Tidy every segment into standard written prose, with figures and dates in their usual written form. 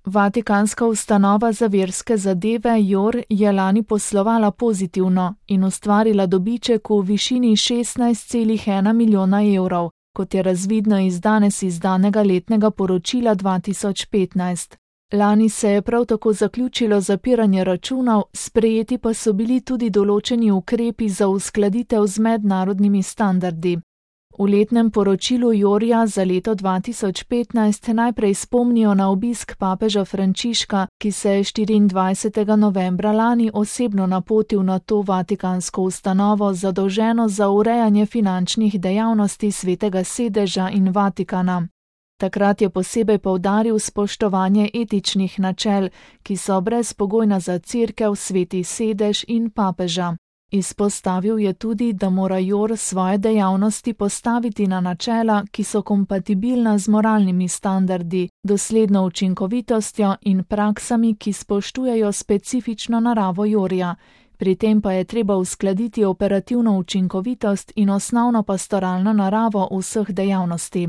Vatikanska ustanova za verske zadeve JOR je lani poslovala pozitivno in ustvarila dobiček v višini 16,1 milijona evrov, kot je razvidno iz danes izdanega letnega poročila 2015. Lani se je prav tako zaključilo zapiranje računov, sprejeti pa so bili tudi določeni ukrepi za uskladitev z mednarodnimi standardi. V letnem poročilu JOR-ja za leto 2015 najprej spomnijo na obisk papeža Frančiška, ki se je 24. novembra lani osebno napotil na to vatikansko ustanovo zadolženo za urejanje finančnih dejavnosti Svetega sedeža in Vatikana. Takrat je posebej poudaril spoštovanje etičnih načel, ki so brezpogojna za Cerkev, Sveti sedež in papeža. Izpostavil je tudi, da mora JOR svoje dejavnosti postaviti na načela, ki so kompatibilna z moralnimi standardi, dosledno učinkovitostjo in praksami, ki spoštujejo specifično naravo JOR-ja. Pri tem pa je treba uskladiti operativno učinkovitost in osnovno pastoralno naravo vseh dejavnosti.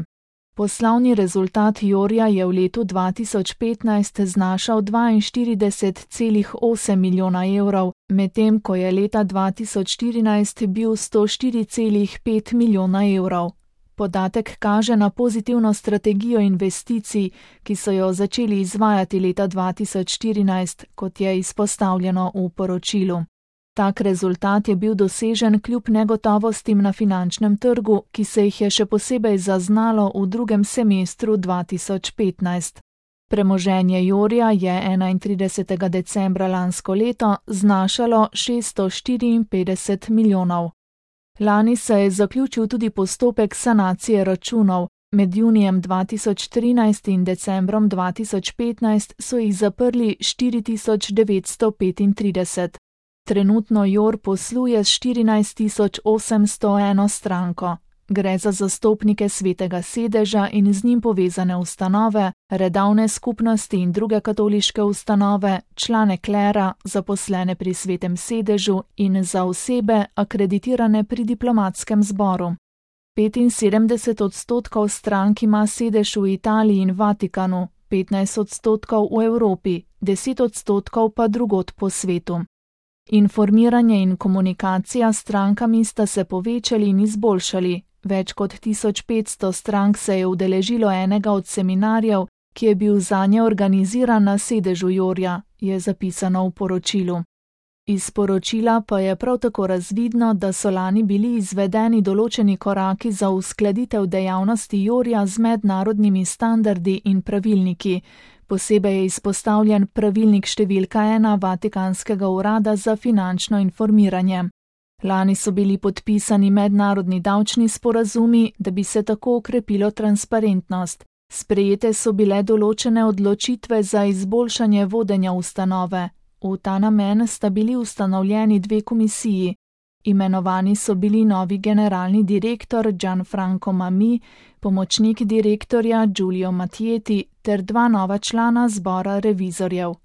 Poslovni rezultat JOR-ja je v letu 2015 znašal 42,8 milijona evrov, medtem ko je leta 2014 bil 104,5 milijona evrov. Podatek kaže na pozitivno strategijo investicij, ki so jo začeli izvajati leta 2014, kot je izpostavljeno v poročilu. Tak rezultat je bil dosežen kljub negotovostim na finančnem trgu, ki se jih je še posebej zaznalo v drugem semestru 2015. Premoženje JOR-ja je 31. decembra lansko leto znašalo 654 milijonov. Lani se je zaključil tudi postopek sanacije računov. Med junijem 2013 in decembrom 2015 so jih zaprli 4935. Trenutno JOR posluje s 14.801 stranko. Gre za zastopnike Svetega sedeža in z njim povezane ustanove, redavne skupnosti in druge katoliške ustanove, člane klera, zaposlene pri Svetem sedežu in za osebe akreditirane pri diplomatskem zboru. 75% strank ima sedež v Italiji in Vatikanu, 15% v Evropi, 10% pa drugod po svetu. Informiranje in komunikacija s strankami sta se povečali in izboljšali. Več kot 1500 strank se je udeležilo enega od seminarjev, ki je bil zanje organiziran na sedežu JOR-ja, je zapisano v poročilu. Iz poročila pa je prav tako razvidno, da so lani bili izvedeni določeni koraki za uskladitev dejavnosti JOR-ja z mednarodnimi standardi in pravilniki. Posebej je izpostavljen pravilnik številka 1 Vatikanskega urada za finančno informiranje. Lani so bili podpisani mednarodni davčni sporazumi, da bi se tako okrepilo transparentnost. Sprejete so bile določene odločitve za izboljšanje vodenja ustanove. V ta namen sta bili ustanovljeni 2 komisiji. Imenovani so bili novi generalni direktor Gianfranco Mamì, pomočnik direktorja Giulio Mattieti ter 2 nova člana zbora revizorjev.